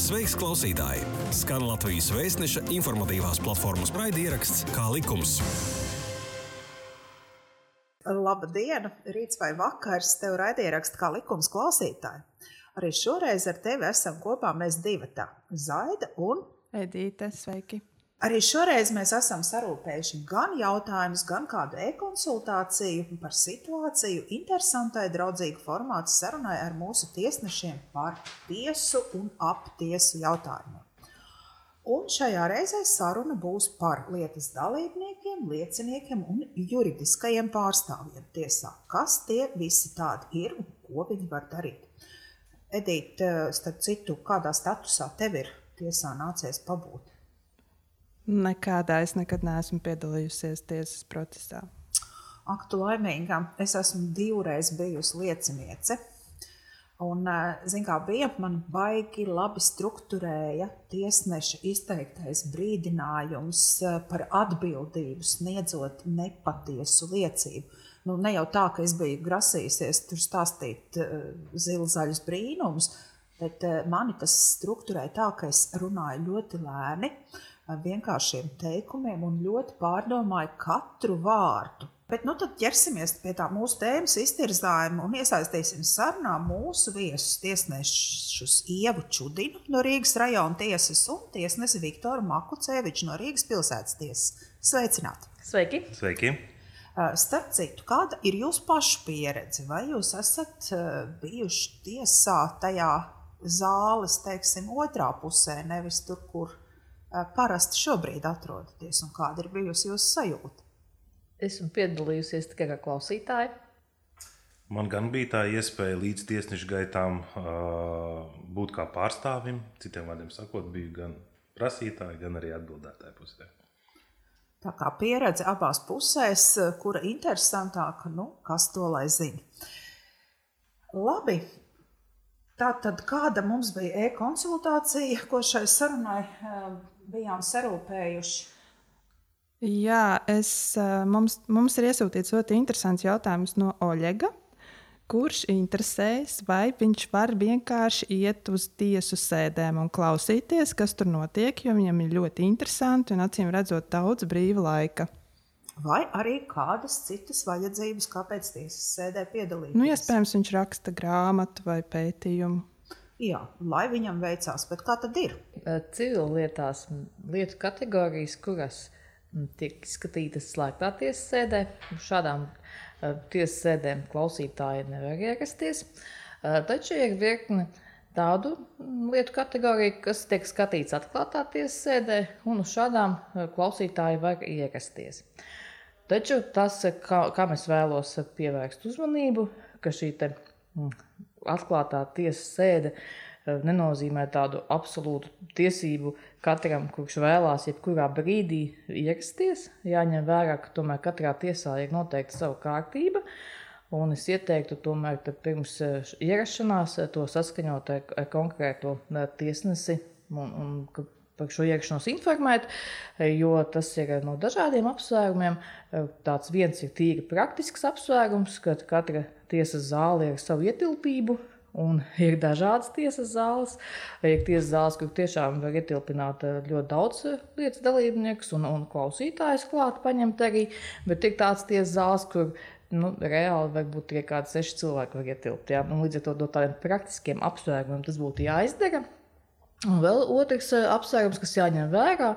Sveiks, klausītāji! Skan Latvijas Vēstneša informatīvās platformas raidieraksts Kā likums. Labdien, rīts vai vakars, tev raidieraksts Kā likums klausītāji. Arī šoreiz ar tevi esam kopā mēs divatā, Zaida un Edīte, sveiki! Arī šoreiz mēs esam sarūpējuši gan jautājumus, gan kādu e-konsultāciju par situāciju, interesantai, draudzīgu formātu sarunai ar mūsu tiesnešiem par tiesu un ap tiesu jautājumiem. Un šajā reizē saruna būs par lietas dalībniekiem, lieciniekiem un juridiskajiem pārstāvjiem tiesā. Kas tie visi tādi ir un ko viņi var darīt? Edīt, starp citu, kādā statusā tev ir tiesā nācies pabūt? Nekādā es nekad neesmu piedalījusies tiesas procesā. Ak, tu laimīgā, es esmu 2 reizes bijusi lieciniece. Un, zin kā bija, man baigi labi strukturēja tiesneša izteiktais brīdinājums par atbildību sniedzot nepatiesu liecību. Nu, ne jau tā, ka es biju grasījusies tur stāstīt zilzaļus brīnumus, bet mani tas strukturēja tā, ka es runāju ļoti lēni, ar vienkāršiem teikumiem un ļoti pārdomāju katru vārdu. Bet nu tad ķersimies pie tā mūsu tēmas iztirzājuma un iesaistīsim sarunā mūsu viesus tiesnešus Ievu Čudinu no Rīgas rajona tiesas un tiesnesi Viktoru Makuceviču no Rīgas pilsētas tiesas. Sveicināti! Sveiki! Sveiki! Starp citu, kāda ir jūsu pašu pieredze? Vai jūs esat bijuši tiesā tajā zāles, teiksim, otrā pusē, nevis tur, kur parasti šobrīd atrodaties, un kāda ir bijusi jūsu sajūta? Esmu piedalījusies tikai kā klausītāja. Man gan bija tā iespēja līdz tiesnešu gaitām būt kā pārstāvim, citiem vārdiem sakot, biju gan prasītāji, gan arī atbildētāji pusē. Tā kā pieredze abās pusēs, kura interesantāka, kas to lai zina. Labi. Tātad, kāda mums bija e-konsultācija, ko šai sarunai bijām sarūpējuši? Jā, mums ir iesūtīts ļoti interesants jautājums no Oļega, kurš interesējas, vai viņš var vienkārši iet uz tiesu sēdēm un klausīties, kas tur notiek, jo viņam ir ļoti interesanti un acīm redzot daudz brīva laika. Vai arī kādas citas vajadzības, kāpēc tiesas sēdē piedalīties? Iespējams, viņš raksta grāmatu vai pētījumu. Jā, lai viņam veicās, bet kā tad ir? Civillietās lietu kategorijas, kuras tiek skatītas slēgtā tiesas sēdē, šādām tiesas sēdēm klausītāji nevar ierasties. Taču ir virkne tādu lietu kategoriju, kas tiek skatīts atklātā tiesas sēdē, un uz šādām klausītāji var ierasties. Taču tas, kam es vēlos pievērst uzmanību, ka šī atklātā tiesas sēde nenozīmē tādu absolūtu tiesību katram, kurš vēlās jebkurā brīdī ierasties. Jāņem vērā, ka tomēr katrā tiesā ir noteikta sava kārtība, un es ieteiktu tomēr pirms ierašanās to saskaņot ar konkrēto tiesnesi un par šo ierašanos informēt, jo tas ir no dažādiem apsvērumiem. Tāds viens ir tīri praktisks apsvērums, ka katra tiesas zāle ir ar savu ietilpību, un ir dažādas tiesas zāles. Ir tiesas zāles, kur tiešām var ietilpināt ļoti daudz lietas dalībniekus un klausītājus klāt paņemt arī, bet ir tāds tiesas zāles, kur reāli varbūt tikai kādi 6 cilvēki var ietilpt. Ja? Līdz ar to no tādiem praktiskiem apsvērumiem tas būtu jāizdara. Un vēl otrs apsvērums, kas jāņem vērā,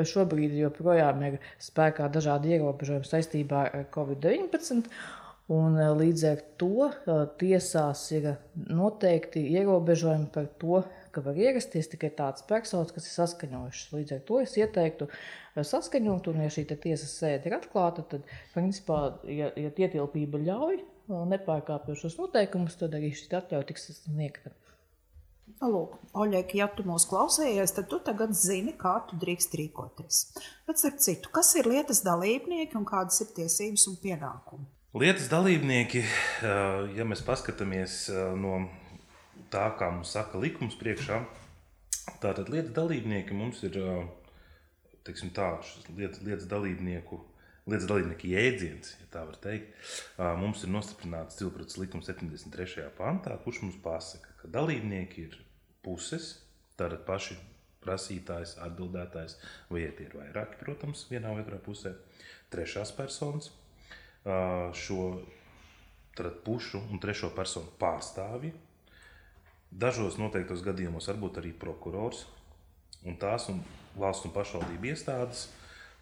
šobrīd joprojām ir spēkā dažādi ierobežojumi saistībā ar Covid-19, un līdz ar to tiesās ir noteikti ierobežojumi par to, ka var ierasties tikai tāds personas, kas ir saskaņojušas. Līdz ar to es ieteiktu saskaņot, un ja šī tiesas sēde ir atklāta, tad, principā, ja ietilpība ļauj, nepārkāpjot šos noteikumus, tad arī šī atļauja tiks sniegta. Lūk, Oļeg, ja tu mūs klausējies, tad tu tagad zini, kā tu drīkst rīkoties. Bet starp citu, kas ir lietas dalībnieki un kādas ir tiesības un pienākumi? Lietas dalībnieki, ja mēs paskatāmies no tā, kā mums saka likums priekšā, tātad lietas dalībnieki mums ir, teiksim tā, lietas dalībnieku jēdziens, ja tā var teikt, mums ir nostiprināts civilprocesa likuma 73. pantā, kurš mums pasaka, ka dalībnieki ir puses, Tātad paši prasītājs, atbildētājs, vai tie ir vairāki, protams, vienā vai otrā pusē. Trešās personas, šo pušu un trešo personu pārstāvji. Dažos noteiktos gadījumos varbūt arī prokurors un tās un valsts un pašvaldību iestādes,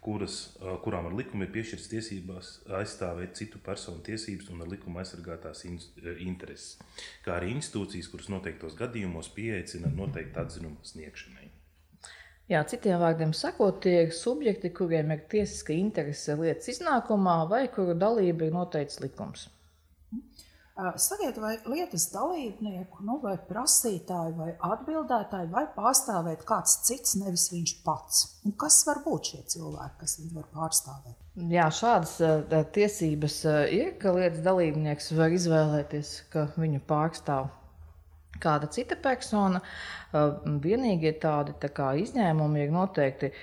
kurām ar likumu ir piešķirts tiesībās aizstāvēt citu personu tiesības un ar likumu aizsargātās intereses, kā arī institūcijas, kuras noteiktos gadījumos pieaicina noteikti atzinuma sniegšanai. Jā, citiem vārdiem sakot, tie ir subjekti, kuriem ir tiesiska interese lietas iznākumā vai kuru dalība ir noteikts likums. Sakiet, vai lietas dalībnieku, vai prasītāju, vai atbildētāju, vai pārstāvēt kāds cits, nevis viņš pats? Un kas var būt šie cilvēki, kas viņu var pārstāvēt? Jā, šādas tiesības ir, ka lietas dalībnieks var izvēlēties, ka viņu pārstāv kāda cita persona. Vienīgie tādi izņēmumi ir noteikti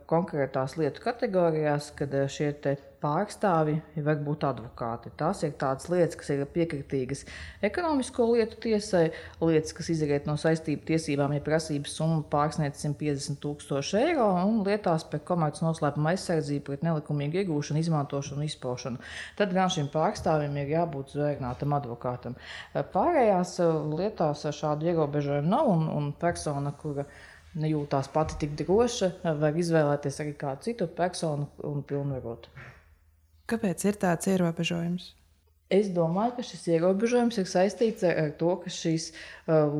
konkrētās lietu kategorijās, kad šie pārstāvji var būt advokāti. Tās ir tādas lietas, kas ir piekritīgas ekonomisko lietu tiesai, lietas, kas izriet no saistību tiesībām, ja prasības summa pārsniedz 150,000 eiro, un lietās par komerces noslēpuma aizsardzību pret nelikumīgu iegūšanu, izmantošanu un izpaušanu. Tad gan šim pārstāvjim ir jābūt zvēginātam advokātam. Pārējās lietās šādu ierobežojumu nav, un persona, kura nejūtās pati tik droša, var izvēlēties arī kādu citu personu un pilnvarot. Kāpēc ir tāds ierobežojums? Es domāju, ka šis ierobežojums ir saistīts ar to, ka šīs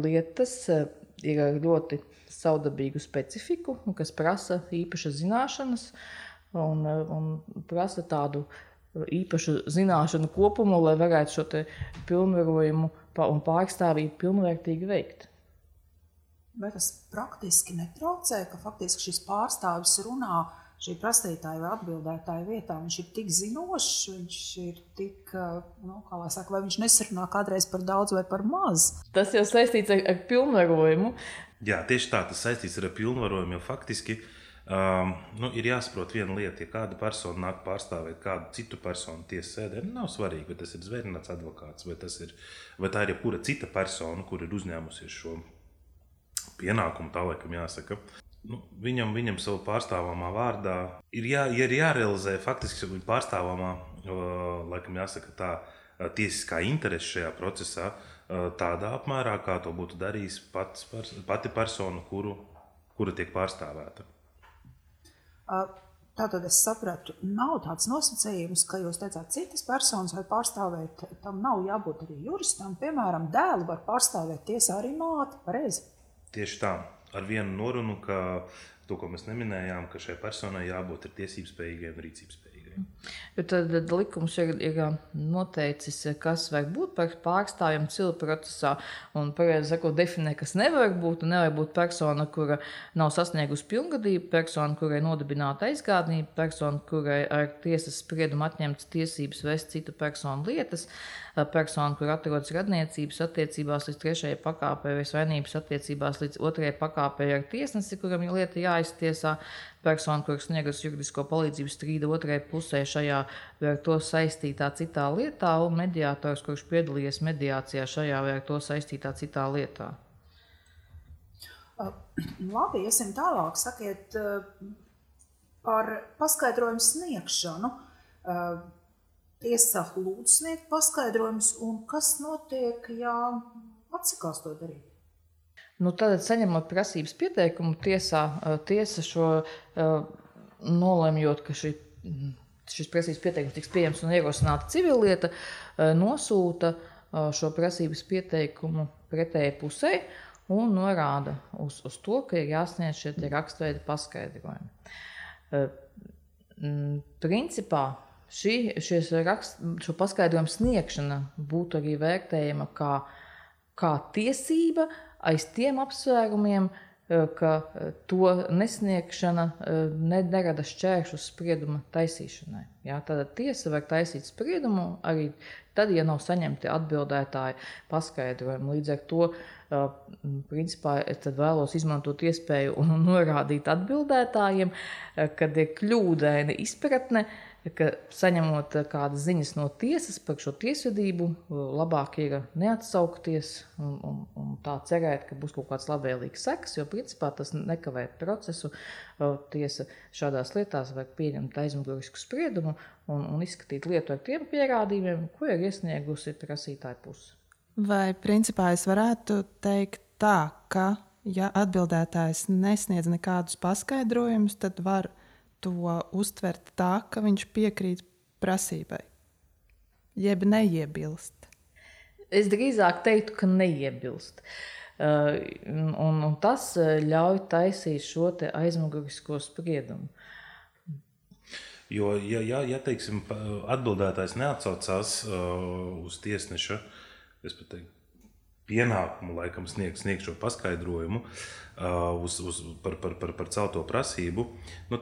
lietas ir ar ļoti savdabīgu specifiku, kas prasa īpašas zināšanas un prasa tādu īpašu zināšanu kopumu, lai varētu šo te pilnvarojumu un pārstāvību pilnvērtīgi veikt. Vai tas praktiski netraucē, ka faktiski šis pārstāvis runā šī prasītāja vai atbildētāja vietā, viņš ir tik zinošs, viņš ir tik, vai viņš nesarunā kādreiz par daudz vai par maz? Tas jau saistīts ar pilnvarojumu. Jā, tieši tā, tas saistīts ar pilnvarojumu, jo faktiski ir jāsaprot viena lieta, ja kāda persona nāk pārstāvēt kādu citu personu tiesas sēdē, nav svarīgi, vai tas ir zvērināts advokāts, vai tā ir jebkura cita persona, kur ir uzņēmusies šo pienākumu, tā laikam jāsaka. Viņam savu pārstāvamā vārdā ir jārealizē faktiski pārstāvamā, laikam jāsaka tā, tiesiskā interese šajā procesā tādā apmērā, kā to būtu darījis pati persona, kura tiek pārstāvēta. Tātad es sapratu, nav tāds nosacījums, ka jūs teicāt, citas personas var pārstāvēt, tam nav jābūt arī juristam, piemēram, dēlu var pārstāvēt tiesā arī māti, pareizi? Tieši tā. Ar vienu norunu, ka to, ko mēs neminējām, ka šai personai jābūt ir tiesības spējīgai un rīcības spējīgai. Jo tad likums ir noteicis, kas var būt par pārstāvjiem civilu procesā, un pareizi sakot, definē, kas nevar būt, un nevar būt persona, kura nav sasniegusi pilngadību, persona, kurai nodibināta aizgādnība, persona, kurai ar tiesas spriedumu atņemtas tiesības vest citu personu lietas, persona, kur atrodas radniecības attiecībās līdz 3. pakāpei vai svainības attiecībās līdz 2. pakāpei ar tiesnesi, kuram ir lieta jāiztiesā, persona, kur sniegus juridisko palīdzību strīda 2. pusē šajā vai ar to saistītā citā lietā, un mediātors, kurš piedalījies mediācijā šajā vai ar to saistītā citā lietā. Labi, iesim tālāk. Sakiet par paskaidrojumu sniegšanu. Tiesa lūdz sniegt paskaidrojumus, un kas notiek, ja atsakās to darīt? Tad saņemot prasības pieteikumu tiesa šo nolemjot, ka šis prasības pieteikums tiks pieejams un ierosināta civillieta, nosūta šo prasības pieteikumu pretēji pusē un norāda uz to, ka ir jāsniedz šie rakstveida paskaidrojumi. Principā šo paskaidrojumu sniegšana būtu arī vērtējama kā tiesība aiz tiem apsvērumiem, ka to nesniegšana nerada šķēršus sprieduma taisīšanai. Tad tiesa var taisīt spriedumu arī tad, ja nav saņemti atbildētāji paskaidrojumi. Līdz ar to, principā, es tad vēlos izmantot iespēju un norādīt atbildētājiem, kad ir kļūdaina izpratne, ka saņemot kādas ziņas no tiesas par šo tiesvedību, labāk ir neatsaukties un tā cerēt, ka būs kaut kāds labvēlīgs sekas, jo principā tas nekavē procesu. Tiesa šādās lietās vajag pieņemt aizmugurisku spriedumu un izskatīt lietu ar tiem pierādījumiem, ko ir iesniegusi prasītāja puse. Vai principā es varētu teikt tā, ka ja atbildētājs nesniedz nekādus paskaidrojumus, tad var to uztvert tā, ka viņš piekrīt prasībai, jeb neiebilst? Es drīzāk teiktu, ka neiebilst. Un tas ļauj taisīt šo te aizmugurisko spriedumu. Jo, ja teiksim, atbildētājs neatsaucās uz tiesneša, es pat teiktu, pienākumu laikam sniegt šo paskaidrojumu par celto prasību,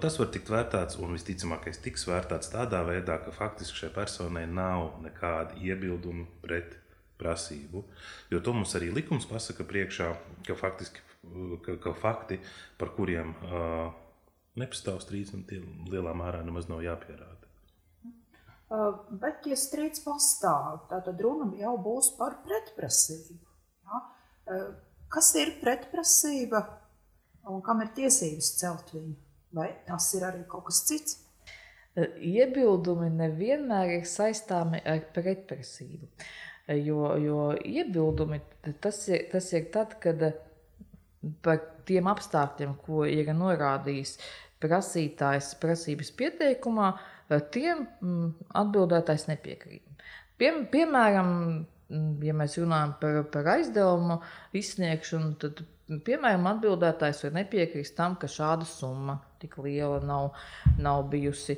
tas var tikt vērtēts, un visticamākais tiks vērtēts tādā veidā, ka faktiski šai personai nav nekāda iebilduma pret prasību. Jo to mums arī likums pasaka priekšā, ka fakti, par kuriem nepastāv strīds, un tie lielā mērā nemaz nav jāpierāda. Bet, ja strīds pastāv, tad runa jau būs par pretprasību. Ja? Kas ir pretprasība un kam ir tiesības celt viņu? Vai tas ir arī kaut kas cits? Iebildumi nevienmēr ir saistāmi ar pretprasību. Jo iebildumi tas ir tad, kad par tiem apstākļiem, ko ir norādījis prasītājs prasības pieteikumā, tiem atbildētājs nepiekrīt. Piemēram, ja mēs runājam par aizdevumu izsniegšanu, tad, piemēram, atbildētājs var nepiekrist tam, ka šāda summa tik liela nav bijusi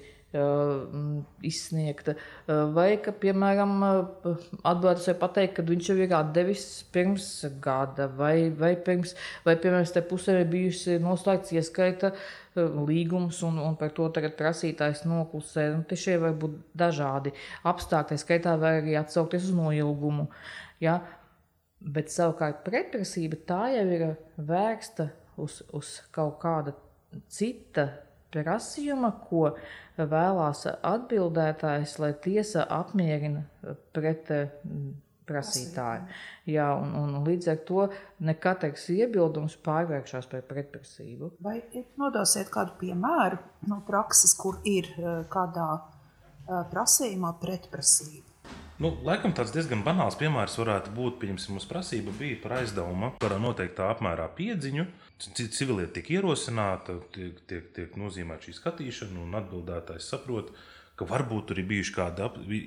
izsniegta. Vai, ka, piemēram, atbildētājs var pateikt, ka viņš jau ir atdevis pirms gada, vai piemēram, te pusē ir bijusi noslēgts ieskaita līgums, un par to tagad prasītājs noklusē. Te šie var būt dažādi apstākļi, skaitā var arī atsaukties uz noilgumu. Ja? Bet savukārt pretprasība tā jau ir vērsta uz kaut kāda cita prasījuma, ko vēlās atbildētājs, lai tiesa apmierina pret prasītāju. Jā, un līdz ar to ne katrs iebildums pārvēršas par pretprasību. Vai nodosiet kādu piemēru no prakses, kur ir kādā prasījumā pretprasība? Laikam tāds diezgan banāls piemērs varētu būt, pieņemsim, mums prasība bija par aizdevumu, par noteiktā apmērā piedziņu. Civilieta tiek ierosināta, tiek nozīmēta šī skatīšana, un atbildētājs saprot, ka varbūt tur ir bijuši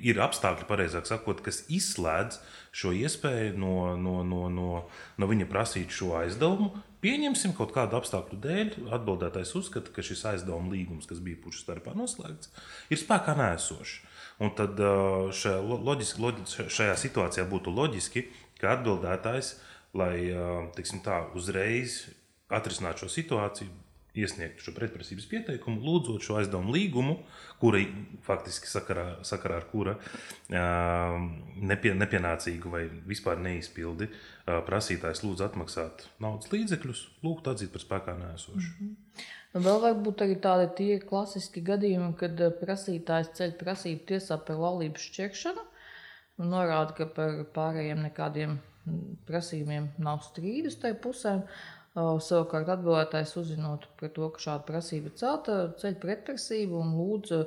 ir apstākļi, pareizāk sakot, kas izslēdz šo iespēju no viņa prasīt šo aizdevumu. Pieņemsim kaut kādu apstākļu dēļ, atbildētājs uzskata, ka šis aizdevuma līgums, kas bija pušu starpā noslēgts, ir spēkā neesošs. Un tad šajā situācijā būtu loģiski, ka atbildētājs, lai uzreiz atrisinātu šo situāciju, iesniegt šo pretprasības pieteikumu, lūdzot šo aizdevumu līgumu, kura faktiski sakarā ar kura nepienācīgu vai vispār neizpildi prasītājs lūdz atmaksāt naudas līdzekļus, lūgt atzīt par spēkā neesošu. Vēl var būt arī tādi tie klasiski gadījumi, kad prasītājs ceļ prasību tiesā par laulību šķiršanu un norāda, ka par pārējiem nekādiem prasījumiem nav strīdus tai pusēm. Savukārt atbildētājs uzzinot par to, ka šāda prasība celta, ceļ pretprasību un lūdz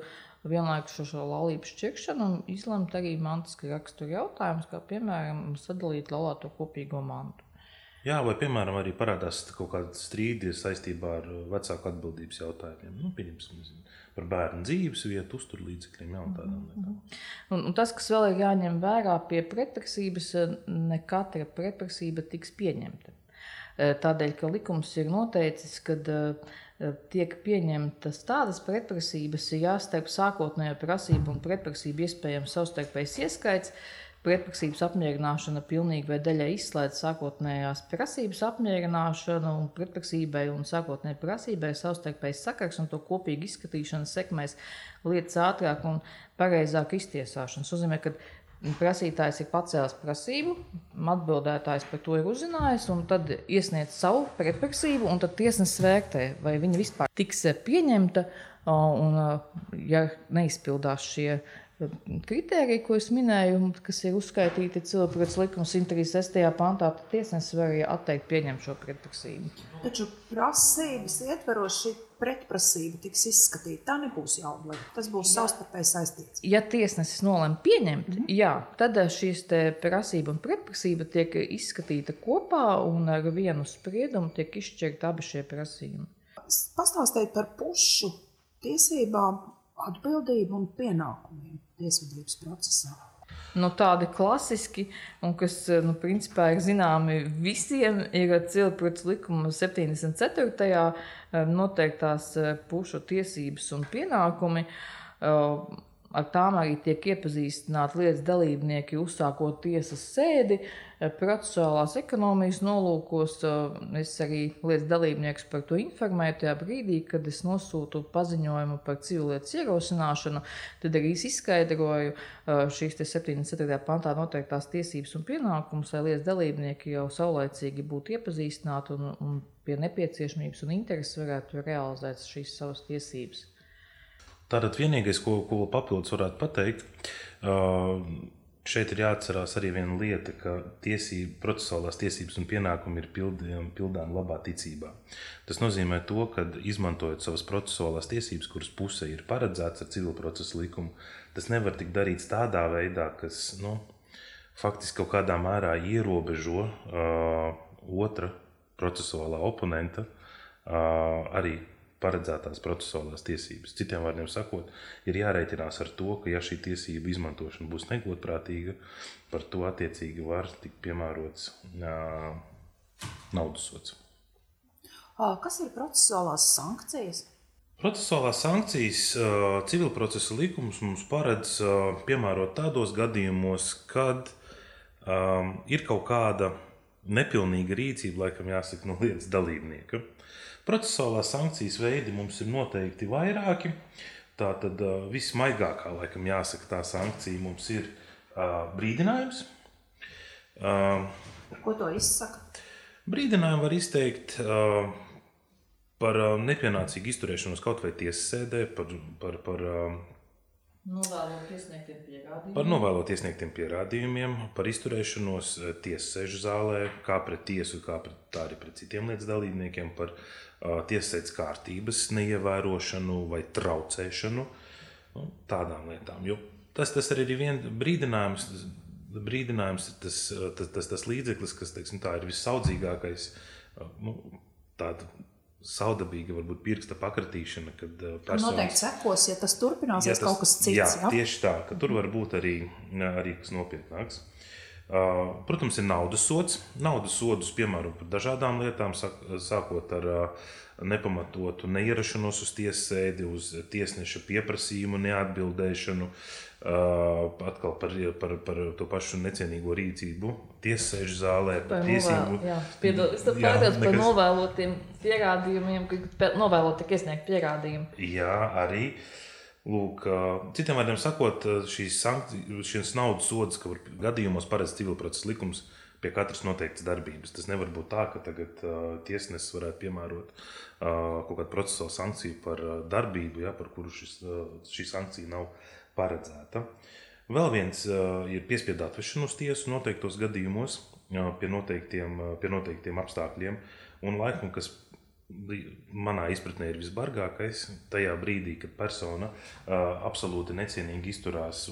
vienlaikus šo laulību šķiršanu un izlemt arī mantiska rakstura jautājumus, kā piemēram sadalīt laulāto kopīgo mantu. Jā, vai piemēram arī parādās kaut kāda strīdi saistībā ar vecāku atbildības jautājumiem. Pieņemsim, par bērnu dzīves vietu, uzturlīdzekļiem, un tādām lietām. Un tas, kas vēl ir jāņem vērā pie pretprasības, ne katra pretprasība tiks pieņemta. Tādēļ, ka likums ir noteicis, kad tiek pieņemtas tādas pretprasības, ja starp sākotnējo prasību un pretprasību iespējams savstarpējs ieskaits, pretprasības apmierināšana pilnīgi vai daļai izslēdz sākotnējās prasības apmierināšanu un pretprasībai un sākotnējai prasībai savstarpējs sakars un to kopīgi izskatīšana sekmēs lietas ātrāk un pareizāk iztiesāšanu. Tas nozīmē, ka prasītājs ir pacēlis prasību, atbildētājs par to ir uzzinājis un tad iesniedz savu pretprasību un tad tiesnesis vērtē, vai viņa vispār tiks pieņemta Un, ja neizpildās šie kritēriji, ko es minēju, kas ir uzskaitīti civilprocesa likuma 136. pantā, tad tiesnesis var arī atteikt pieņemt šo pretprasību. Taču prasības ietveros šī pretprasība tiks izskatīta. Tā nebūs jāobliek. Tas būs savstarpēji saistīts. Ja tiesnesis nolem pieņemt, jā, tad šīs te prasība un pretprasība tiek izskatīta kopā un ar vienu spriedumu tiek izšķirta abi šie prasījumi. Pastāstiet par pušu tiesībām, atbildību un pienākumiem tiesvedības procesā. Tādi klasiski, un kas principā ir zināmi visiem, ir civilprocesa likuma 74. noteiktās pušu tiesības un pienākumi. Ar tām arī tiek iepazīstināti lietas dalībnieki, uzsākot tiesas sēdi, procesuālās ekonomijas nolūkos. Es arī lietas dalībniekus par to informēju tajā brīdī, kad es nosūtu paziņojumu par civilietas ierosināšanu. Tad arī izskaidroju šīs 74. pantā noteiktās tiesības un pienākumus, lai lietas dalībnieki jau saulaicīgi būtu iepazīstināti un pie nepieciešamības un intereses varētu realizēt šīs savas tiesības. Tātad vienīgais, ko papildus varētu pateikt, šeit ir jāatcerās arī viena lieta, ka procesuālās tiesības un pienākumi ir pildām labā ticībā. Tas nozīmē to, ka izmantojot savas procesuālās tiesības, kuras pusē ir paredzēts ar civilprocesa likumu, tas nevar tikt darīts tādā veidā, kas faktiski kaut kādā mērā ierobežo otra procesuālā oponenta arī paredzētās procesuālās tiesības. Citiem vārdiem sakot, ir jārēķinās ar to, ka ja šī tiesība izmantošana būs negodprātīga, par to attiecīgi var tikt piemērots naudas sods. Kas ir procesuālās sankcijas? Procesuālās sankcijas civilprocesa likums mums paredz piemērot tādos gadījumos, kad ir kaut kāda nepilnīga rīcība, laikam jāsaka, no lietas dalībnieka. Procesuālās sankcijas veidi mums ir noteikti vairāki. Tātad vismaigākā, laikam jāsaka, tā sankcija mums ir brīdinājums. Ko to izsaka? Brīdinājumu var izteikt par nepienācīgu izturēšanos kaut vai tiesas sēdē, par novēlot iesniegtiem pierādījumiem, par izturēšanos tiesas sēžu zālē, kā pret tiesu, tā arī pret citiem lietas dalībniekiem, par tiesasēdes kārtības neievērošanu vai traucēšanu, tādām lietām. Jo tas arī ir viens brīdinājums. Brīdinājums ir tas līdzeklis, kas, teiksim, tā ir vissaudzīgākais, tāda saudabīga, varbūt pirksta pakratīšana, kad personas... Noteikti sekos, ja tas turpināsies kaut kas cits. Jā, tieši tā, ka tur var būt arī kas nopietnāks. Protams, ir naudas sods. Naudas sodus piemēro par dažādām lietām, sākot ar nepamatotu neierašanos uz tiesas sēdi, uz tiesneša pieprasījumu neatbildēšanu, atkal par to pašu necienīgo rīcību tiesas sēžu zālē, par tiesību. Par novēlotiem pierādījumiem, kad novēlot tiek iesniegt pierādījumi. Jā, arī. Lūk, citiem vārdiem sakot, šīs naudas sodas, ka gadījumos paredz civilprocesa likums pie katras noteiktas darbības. Tas nevar būt tā, ka tagad tiesnesis varētu piemērot kaut kādu procesuālu sankciju par darbību, par kuru šī sankcija nav paredzēta. Vēl viens ir piespiedu atvešana uz tiesu noteiktos gadījumos pie noteiktiem apstākļiem. Un laikam, kas manā izpratnē ir visbargākais, tajā brīdī, kad persona absolūti necienīgi izturās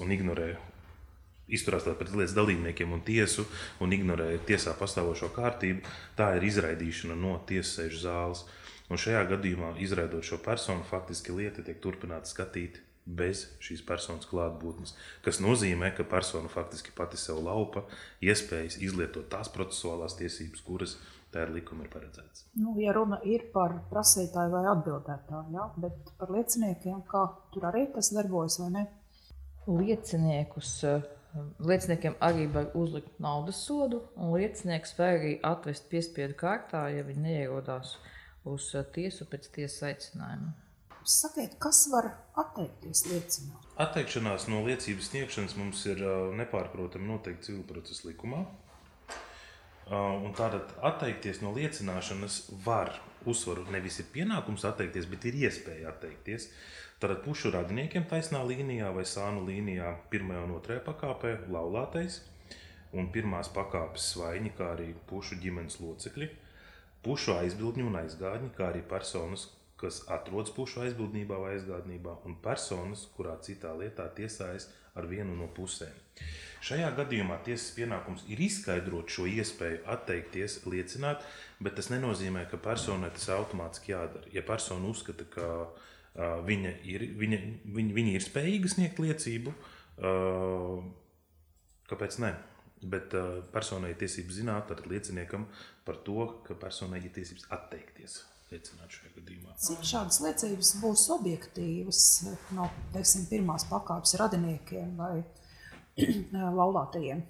pret lietas dalībniekiem un tiesu un ignorē tiesā pastāvošo kārtību, tā ir izraidīšana no tiesas sēžu zāles. Un šajā gadījumā, izraidot šo personu, faktiski lieta tiek turpināta skatīt bez šīs personas klātbūtnes, kas nozīmē, ka persona faktiski pati sev laupa iespējas izlietot tās procesuālās tiesības, kuras tā ir likuma ir paredzēts. Ja runa ir par prasītāju vai atbildētāju, bet par lieciniekiem, kā tur arī tas darbojas vai ne? Lieciniekiem arī var uzlikt naudas sodu, un liecinieks var arī atvest piespiedu kārtā, ja viņi neierodās uz tiesu pēc tiesas aicinājuma. Sakiet, kas var atteikties liecināt? Atteikšanās no liecības sniegšanas mums ir nepārprotami noteikti civilprocesa likumā. Un tātad atteikties no liecināšanas var uzsvaru nevis ir pienākums atteikties, bet ir iespēja atteikties. Tātad pušu radiniekiem taisnā līnijā vai sānu līnijā 1. un 2. pakāpē laulātais un 1. pakāpes svaiņi, kā arī pušu ģimenes locekļi, pušu aizbildņi un aizgādņi, kā arī personas, kas atrodas pušu aizbildnībā vai aizgādnībā, un personas, kurā citā lietā tiesājas ar vienu no pusēm. Šajā gadījumā tiesas pienākums ir izskaidrot šo iespēju atteikties, liecināt, bet tas nenozīmē, ka personai tas automātiski jādara. Ja persona uzskata, ka viņa ir spējīga sniegt liecību, kāpēc ne? Bet personai ir tiesības zināt, tātad lieciniekam par to, ka personai ir tiesības atteikties liecināt šajā gadījumā. Cik šādas liecības būs objektīvas no, teiksim, 1. pakāpes radiniekiem vai laulātajiem?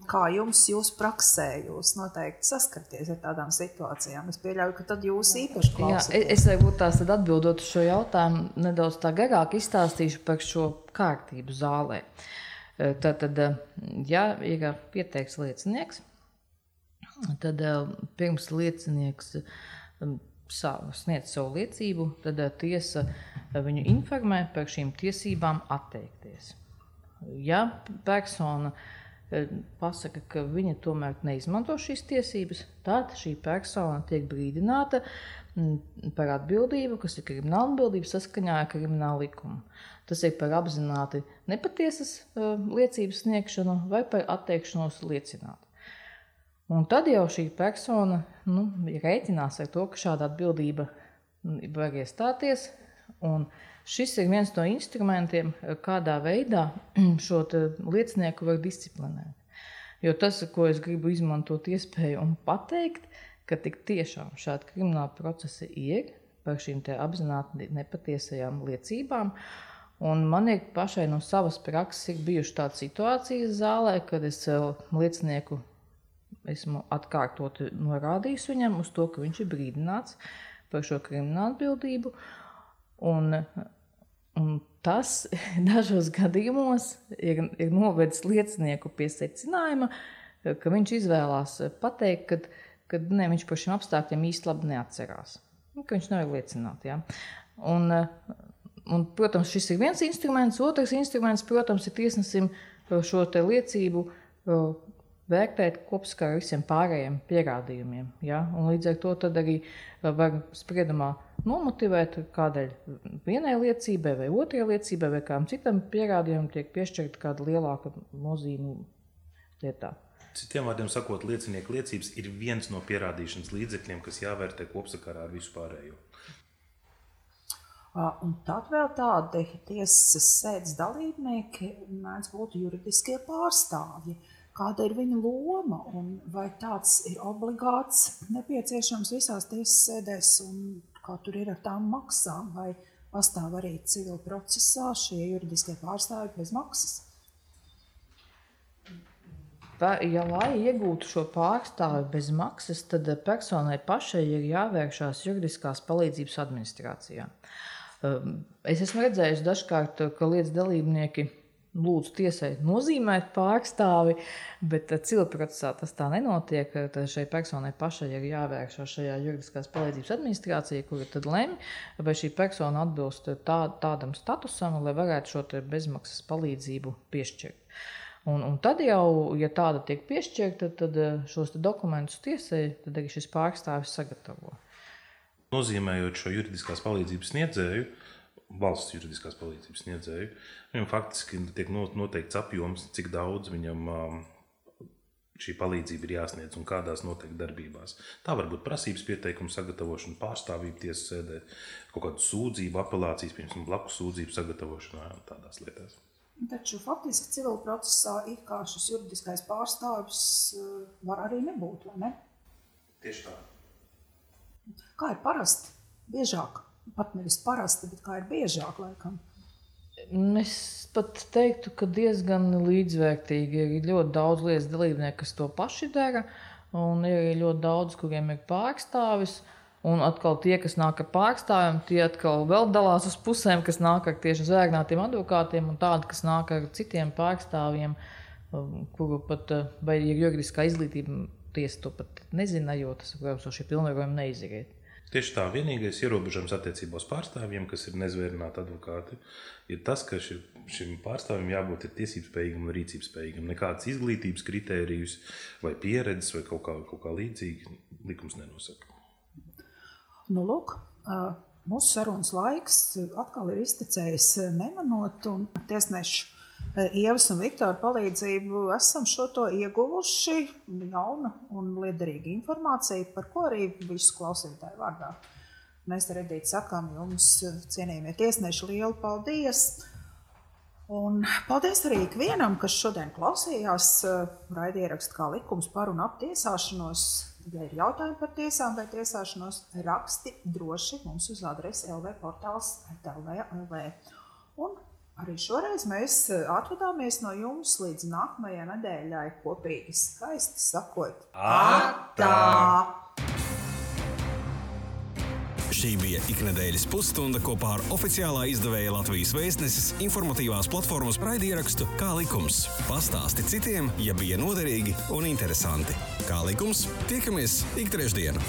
Kā jūs praksē, jūs noteikti saskarties ar tādām situācijām? Es pieļauju, ka tad jūs īpaši klausāties. Jā, es varbūt tās tad atbildot uz šo jautājumu nedaudz tā garāk izstāstīšu par šo kārtību zālē. Tātad, ja ir pieteikts liecinieks, tad pirms liecinieks sniedz savu liecību, tad tiesa viņu informē par šīm tiesībām atteikties. Ja persona pasaka, ka viņa tomēr neizmanto šīs tiesības, tad šī persona tiek brīdināta par atbildību, kas ir krimināla atbildība saskaņā ar kriminālu likumu. Tas ir par apzināti nepatiesas liecības sniegšanu vai par atteikšanos liecināt. Un tad jau šī persona rēķinās ar to, ka šāda atbildība var iestāties. Un šis ir viens no instrumentiem, kādā veidā šo liecinieku var disciplinēt. Jo tas, ko es gribu izmantot iespēju un pateikt, ka tik tiešām šādi krimināli procesi ir par šīm te apzināti nepatiesajām liecībām. Un man ir pašai no savas prakses ir bijuši tādas situācijas zālē, kad es liecinieku esmu atkārtoti norādījis viņam uz to, ka viņš ir brīdināts par šo kriminālu atbildību. Un tas dažos gadījumos ir novedis liecinieku pie secinājuma, ka viņš izvēlās pateikt, ka viņš par šiem apstākļiem īsti labi neatcerās. Ka viņš nevar liecināt. Ja? Un, protams, šis ir viens instruments. Otrs instruments, protams, ir tiesnesim šo te liecību vērtēt kopsakarā ar visiem pārējiem pierādījumiem. Ja? Un līdz ar to tad arī var spriedumā nomotivēt, kādēļ vienai liecībai vai otrai liecībai vai kādam citam pierādījumam tiek piešķirta kāda lielāka nozīme lietā. Citiem vārdiem sakot, liecinieku liecības ir viens no pierādīšanas līdzekļiem, kas jāvērtē kopsakarā ar visu pārējo. Un tad vēl tādi tiesas sēdes dalībnieki mēdz būt juridiskie pārstāvji. Kāda ir viņa loma un vai tāds ir obligāts nepieciešams visās tiesas sēdēs un kā tur ir ar tām maksām, vai pastāv arī civil procesā šie juridiskie pārstāvji bez maksas? Ja lai iegūtu šo pārstāvi bez maksas, tad personai pašai ir jāvēršās juridiskās palīdzības administrācijā. Es esmu redzējusi dažkārt, ka lietas dalībnieki lūdzu tiesai nozīmēt pārstāvi, bet civilprocesā tas tā nenotiek. Tad šai personai pašai ir jāvēršās šajā juridiskās palīdzības administrācijā, kura tad lemj, vai šī persona atbilst tādam statusam, lai varētu šo bezmaksas palīdzību piešķirt. Un tad jau, ja tāda tiek piešķirta, tad šos dokumentus tiesai, tad arī šis pārstāvis sagatavo. Nozīmējot šo juridiskās palīdzības sniedzēju, valsts juridiskās palīdzības sniedzēju, viņam faktiski tiek noteikts apjoms, cik daudz viņam šī palīdzība ir jāsniedz un kādās noteikti darbībās. Tā var būt prasības pieteikuma sagatavošana, pārstāvība tiesas sēdē, kaut kādu sūdzību, apelācijas, piemēram, blakus sūdzību sagatavošanā un tādās lietās. Taču faktiski civil procesā it kā šis juridiskais pārstāvis var arī nebūt, vai ne? Tieši tā. Kā ir parasti? Biežāk? Pat nevis parasti, bet kā ir biežāk laikam? Es pat teiktu, ka diezgan līdzvērtīgi. Ir ļoti daudz lietas dalībnieku, kas to paši dara, un ir ļoti daudz, kuriem ir pārstāvis. Un atkal tie, kas nāk ar pārstāvjiem, tie atkal vēl dalās uz pusēm, kas nāk ar tieši zvēgnātiem advokātiem un tādi, kas nāk ar citiem pārstāvjiem, kuru pat, vai ir juridiskā izglītība, tiesa to pat nezina, jo tas, protams, šie pilnvarojumi neizriet. Tieši tā, vienīgais ierobežojums attiecībā uz pārstāvjiem, kas ir nezvērināti advokāti, ir tas, ka šim pārstāvjim jābūt tiesībspējīgam un rīcībspējīgam. Nekādas izglītības kritērijus vai pieredzes vai kaut kā līdzīgi likums nenosaka. Nu, lūk, mūsu sarunas laiks atkal ir iztecējis nemanot, un tiesnešu Ievas un Viktora palīdzību esam šo to ieguvuši jaunu un liederīgu informāciju, par ko arī visu klausītāju vārdā. Mēs ar Edīti sakām jums, cienījamie tiesneši, lielu paldies! Un paldies arī ikvienam, kas šodien klausījās raidierakstu kā likums par un ap tiesāšanos. Ja ir jautājumi par tiesām vai tiesāšanos, raksti droši mums uz adresi lvportāls@lv.lv. Un arī šoreiz mēs atvadāmies no jums līdz nākamajai nedēļai kopīgi skaisti sakot Atā! Šī bija iknedēļas pusstunda kopā ar oficiālā izdevēja Latvijas Vēstneses informatīvās platformas raidierakstu Kā likums. Pastāsti citiem, ja bija noderīgi un interesanti. Kā likums, tiekamies ik trešdienu.